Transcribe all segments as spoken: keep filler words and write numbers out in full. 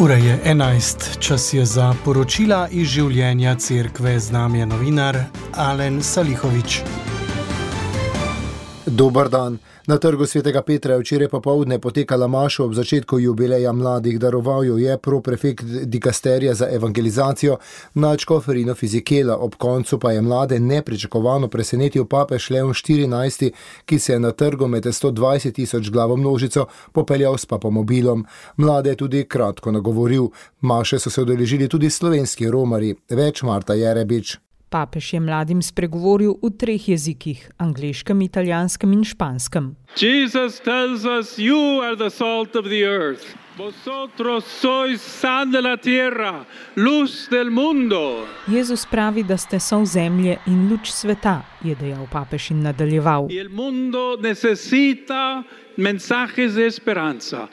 Ura je enajst, čas je za poročila iz življenja cerkve. Z nami je novinar Alen Salihovič. Dober dan. Na trgu svetega Petra je včeraj popoldne potekala maša ob začetku jubileja mladih. Daroval jo je proprefekt dikasterija za evangelizacijo nadškof Rino Fizikela. Ob koncu pa je mlade nepričakovano presenetil papež Leon štirinajsti, ki se je na trgu med sto dvajset tisoč glavo množico popeljal s papamobilom. Mlade je tudi kratko nagovoril. Maše so se udeležili tudi slovenski romarji. Več Marta Jerebič. Papež je mladim spregovoril v treh jezikih, angleškem, italijanskem in španskem. Jesus tells us, you are the salt of the earth. Vosotros sois sal de la tierra, luz del mundo. Jezus pravi, da ste sol zemlje in luč sveta, je dejal papež in nadaljeval. Y el mundo necesita mensajes de esperanza.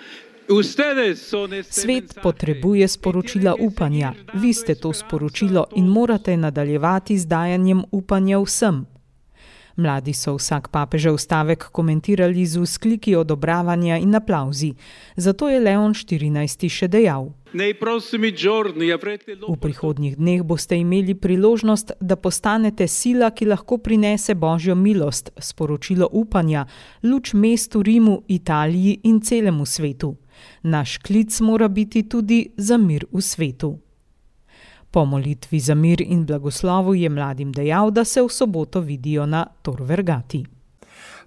Svet potrebuje sporočila upanja. Vi ste to sporočilo in morate nadaljevati z dajanjem upanja vsem. Mladi so vsak papežev stavek komentirali z vzkliki odobravanja in aplavzi. Zato je Leon štirinajsti še dejal: V prihodnjih dneh boste imeli priložnost, da postanete sila, ki lahko prinese Božjo milost, sporočilo upanja, luč mestu Rimu, Italiji in celemu svetu. Naš klic mora biti tudi za mir v svetu. Po molitvi za mir in blagoslovu je mladim dejal, da se v soboto vidijo na Tor Vergati.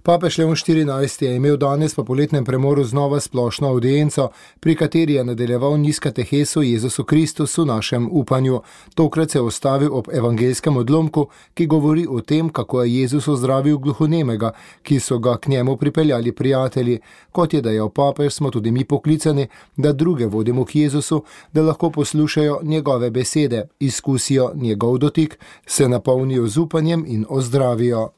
Papež Leon štirinajsti je imel danes po poletnem premoru znova splošno avdienco, pri kateri je nadaljeval niz kateheso Jezusu Kristusu, našem upanju. Tokrat se je ustavil ob evangelskem odlomku, ki govori o tem, kako je Jezus ozdravil gluhonemega, ki so ga k njemu pripeljali prijatelji. Kot je dejal papež, smo tudi mi poklicani, da druge vodimo k Jezusu, da lahko poslušajo njegove besede, izkusijo njegov dotik, se napolnijo z upanjem in ozdravijo.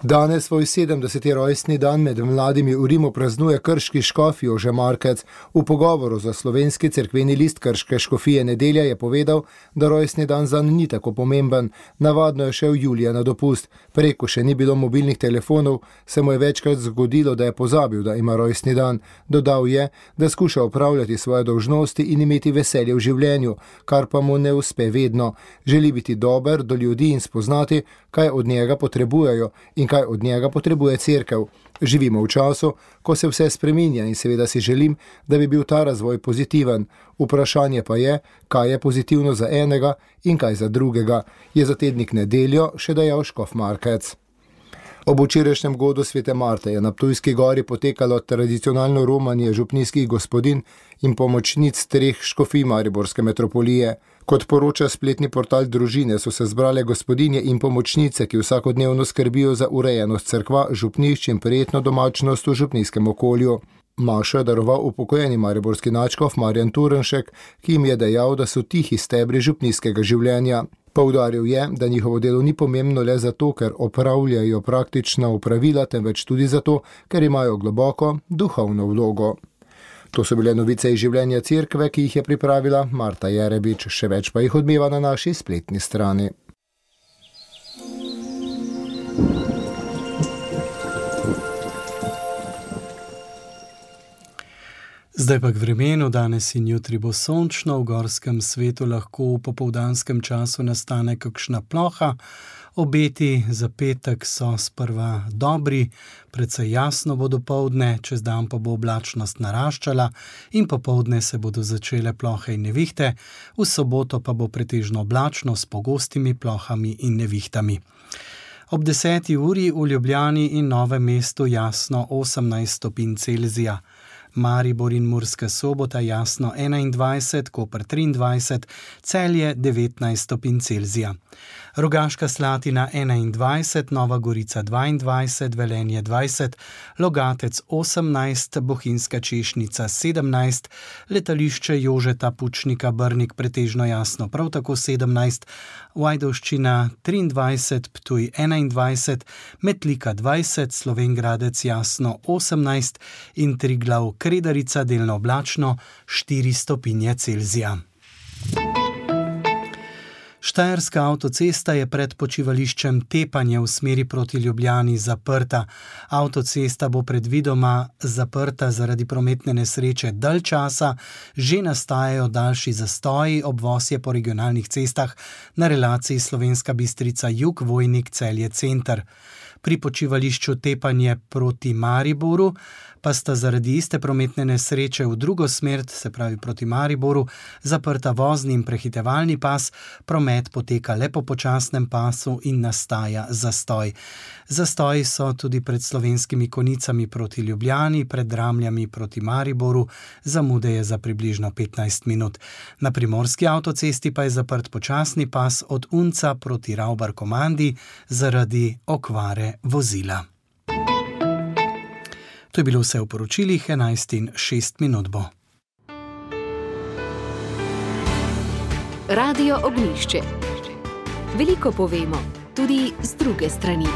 Danes svoj sedemdeseti rojstni dan med mladimi v Rimu praznuje krški škof Jože Markec. V pogovoru za slovenski cerkveni list krške škofije Nedelja je povedal, da rojstni dan zanj ni tako pomemben. Navadno je šel julija na dopust. Preko še ni bilo mobilnih telefonov, se mu je večkrat zgodilo, da je pozabil, da ima rojstni dan. Dodal je, da skuša opravljati svoje dolžnosti in imeti veselje v življenju, kar pa mu ne uspe vedno. Želi biti dober do ljudi in spoznati, kaj od njega potrebujejo in kaj od njega potrebuje cerkev. Živimo v času, ko se vse spreminja in seveda si želim, da bi bil ta razvoj pozitiven. Vprašanje pa je, kaj je pozitivno za enega in kaj za drugega, je za tednik Nedeljo še dejal škof Markec. Ob včerajšnjem godu svete Marte je na Ptujski gori potekalo tradicionalno romanje župnijskih gospodin in pomočnic treh škofij mariborske metropolije. Kot poroča spletni portal Družine, so se zbrale gospodinje in pomočnice, ki vsakodnevno skrbijo za urejenost cerkva, župnišč in prijetno domačnost v župnijskem okolju. Mašo je daroval upokojeni mariborski nadškof Marjan Turnšek, ki jim je dejal, da so tihi stebri župnijskega življenja. Poudaril je, da njihovo delo ni pomembno le zato, ker opravljajo praktična opravila, temveč tudi zato, ker imajo globoko duhovno vlogo. To so bile novice iz življenja cerkve, ki jih je pripravila Marta Jerebič. Še več pa jih odmeva na naši spletni strani. Zdaj pa k vremenu. Danes in jutri bo sončno, v gorskem svetu lahko v popoldanskem času nastane kakšna ploha. Obeti za petek so sprva dobri, precej jasno bo dopoldne, čez dan pa bo oblačnost naraščala in popoldne se bodo začele plohe in nevihte, v soboto pa bo pretežno oblačno s pogostimi plohami in nevihtami. Ob deseti uri v Ljubljani in Novem mestu jasno osemnajst stopinj Celzija. Maribor in Murska Sobota jasno enaindvajset, Koper triindvajset, Celje devetnajst stopinj Celzija. Rogaška Slatina enaindvajset, Nova Gorica dvaindvajset, Velenje dvajset, Logatec osemnajst, Bohinjska Češnica sedemnajst, Letališče Jožeta Pučnika Brnik pretežno jasno prav tako sedemnajst, Ajdovščina triindvajset, Ptuj enaindvajset, Metlika dvajset, Slovenj Gradec jasno osemnajst in Triglav Kredarica delno oblačno štiri stopinje Celzija. Štajerska avtocesta je pred počivališčem Tepanje v smeri proti Ljubljani zaprta. Avtocesta bo predvidoma zaprta zaradi prometne nesreče dalj časa, že nastajajo daljši zastoji, obvoz je po regionalnih cestah na relaciji Slovenska Bistrica jug, Vojnik, Celje, Center. Pri počivališču Tepanje proti Mariboru pa sta zaradi iste prometne nesreče v drugo smer, se pravi proti Mariboru, zaprta vozni in prehitevalni pas, promet poteka le po počasnem pasu in nastaja zastoj. Zastoji so tudi pred Slovenskimi Konicami proti Ljubljani, pred Dramljami proti Mariboru, zamude je za približno petnajst minut. Na primorski avtocesti pa je zaprt počasni pas od Unca proti Ravbar-Komandi zaradi okvare vozila. To je bilo vse v poročilih, enajst in šest minut bo. Radio Ognjišče. Veliko povemo, tudi z druge strani.